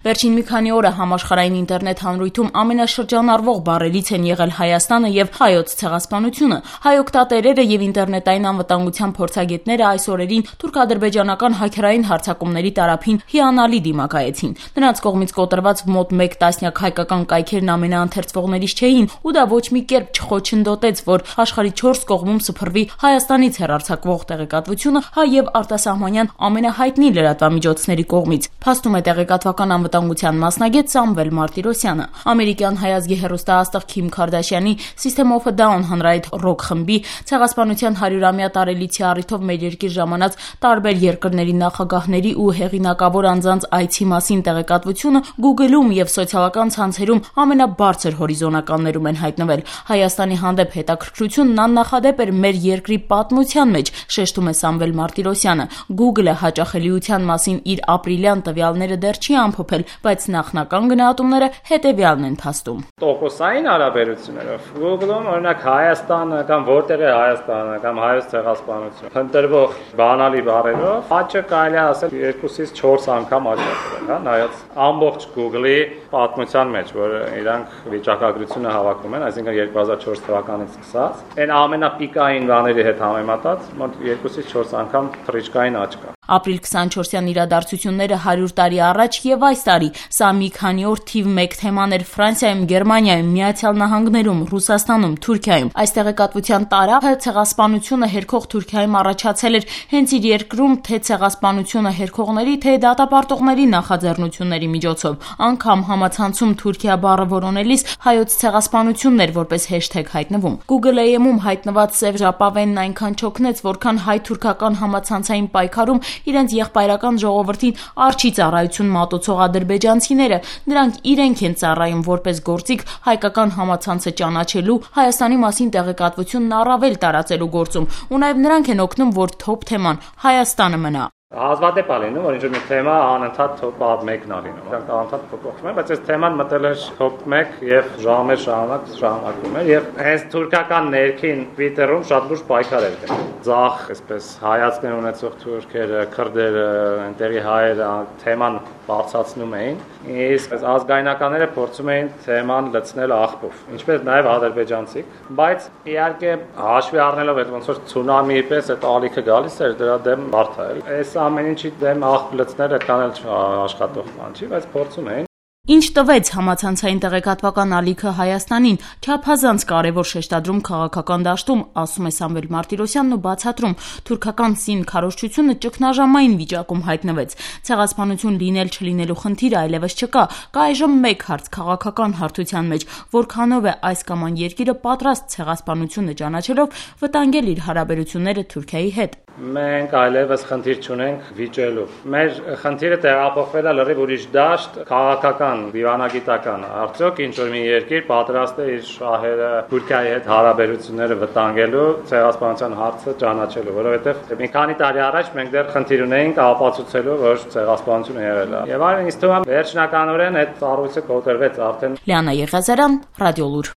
Վերջին մի քանի օրը համաշխարհային ինտերնետ հանրույթում ամենաշրջանառվող բառերից են եղել Հայաստանը եւ հայոց ցեղասպանությունը։ Հայ օգտատերերը եւ ինտերնետային անվտանգության փորձագետները այս օրերին թուրք-ադրբեջանական հաքերային հարձակումների տարափին հիանալի դիմակայեցին։ Նրանց կողմից կոտրված մոտ 1 տասնյակ հայկական կայքերն ամենաընթերցվողներից չէին, ու դա ոչ մի կերպ չխոչընդոտեց, որ աշխարհի 4 կողմում սփռվի Հայաստանից հեռարձակվող տեղեկատվությունը հայ եւ արտասահմանյան ամենահայտնի լրատվամիջոցների կողմից։ Փաստում է տեղեկատվական անվտանգության մասնագետ Սամվել Մարտիրոսյանը։ Ամերիկյան հայ ազգի հեռուստաաստղ Քիմ Քարդաշյանի System of a Down հանրայինի ռոք խմբի ցեղասպանության 100-ամյա տարելիցի առիթով մեր երկիր ժամանած տարբեր երկրների նախագահների ու հեղինակավոր անձանց այցի մասին տեղեկատվությունը Google-ում եւ սոցիալական ցանցերում ամենաբարձր հորիզոնականներում են հայտնվել։ Հայաստանի հանդեպ հետաքրքրությունն աննախադեպ էր մեր երկրի պատմության մեջ, շեշտում է Սամվել Մարտիրոսյանը։ Google-ը հաճախելիության մասին իր ապրիլյան տվյալները դեռ չի ամփոփել, բայց նախնական գնահատումները հետեւյալն են փաստում։ Տոկոսային հարաբերություններով Google-ում օրինակ Հայաստանը կամ որտեղ է Հայաստանը կամ հայոց ցեղասպանությունը ընտրվող բանալի բառերով աճը կարելի է ասել 2-ից 4 անգամ աճացել, հա, նայած ամբողջ Google-ի պատմության մեջ, որ իրանք վիճակագրությունը հավաքում են, այսինքն 2004 թվականից սկսած, այն ամենապիկային բաների հետ համեմատած մոտ 2-ից 4 անգամ թռիչքային աճ կա։ Ապրիլ 24-յան իրադարձությունները 100 տարի առաջ եւ այս տարի սա մի քանի օր թիվ 1 թեման էր Ֆրանսիայում, Գերմանիայում, Միացյալ Նահանգներում, Ռուսաստանում, Թուրքիայում։ Այս տեղեկատվության տարափը ցեղասպանությունը հերքող Թուրքիայում առաջացել էր հենց իր երկրում թե ցեղասպանությունը հերքողների, թե դատապարտողների նախաձեռնությունների միջոցով։ Անգամ համացանցում Թուրքիա բառը որոնելիս հայոց ցեղասպանությունն էր որպես հեշթեգ հայտնվում։ Google AM-ում հայտնված Սև ժապավենն այնքան չօգնեց, որքան հայ-թուրքական համացանցային պայքարում իրենց եղբայրական ժողովրդին արջի ծառայություն մատուցող ադրբեջանցիները, նրանք իրենք են ծառայում որպես գործիք հայկական համացանցը ճանաչելու, Հայաստանի մասին տեղեկատվությունն առավել տարածելու գործում, ու նաև նրանք են օգնում, որ թոփ թեման Հայաստանը մնա։ Հազվադեպ է լինում, որ ինչ-որ մի թեմա անընդհատ top 1-ն է լինում։ Դրանք անընդհատ փոփոխվում են, բայց այս թեման մտել էր top 1 եւ ժամեր շարունակվում էր եւ հենց թուրքական ներքին Twitter-ում շատ լուրջ պայքար էր գնում։ Ձախ, այսպես հայացքներ ունեցող թուրքերը, քրդերը, այնտեղի հայերը թեման բարձրացնում էին, իսկ ազգայնականները փորձում էին թեման լցնել աղբով, ինչպես նաև ադրբեջանցիք, բայց իհարկե հաշվի առնելով այդ ոնց որ ցունամիի պես այդ ալիքը գալիս էր, դրա դեմ բարդ է։ Այս ամեն ինչի դեմ աղբ լցնել այդքան էլ աշխատող բան չի, բայց փորձում էին։ Ինչ տվեց համացանցային տեղեկատվական ալիքը Հայաստանին, չափազանց կարևոր շեշտադրում քաղաքական դաշտում, ասում է Սամվել Մարտիրոսյանն ու բացատրում, թուրքական սին քարոզչությունը ճգնաժամային վիճակում հայտնվեց։ Ցեղասպանություն լինել չլինելու խնդիրը այլևս չկա, կա այժմ մեկ հարց քաղաքական հարթության մեջ, որքանով է այս կամ այն երկիրը պատրաստ ցեղասպանությունը ճանաչելով վտանգել իր հարաբերությունները Թուրքիայի հետ։ Մենք այլևս խնդիր չունենք վիճելու։ Մեր խնդիրը տեղափոխվել է լրիվ ուրիշ դաշտ, քաղաքական, դիվանագիտական։ Արդյոք ինչ-որ մի երկիր պատրաստ է իր շահերը Թուրքիայի հետ հարաբերությունները վտանգելու, ցեղասպանության հարցը ճանաչելու, որովհետև մի քանի տարի առաջ մենք դեռ խնդիր ունեինք ապացուցելու, որ ցեղասպանությունը եղել է։ Եվ այլն ինձ թվում է վերջնականորեն այդ ծառայությունը կոտրվեց արդեն։ Լիանա Եղիազարյան, Ռադիոլուր։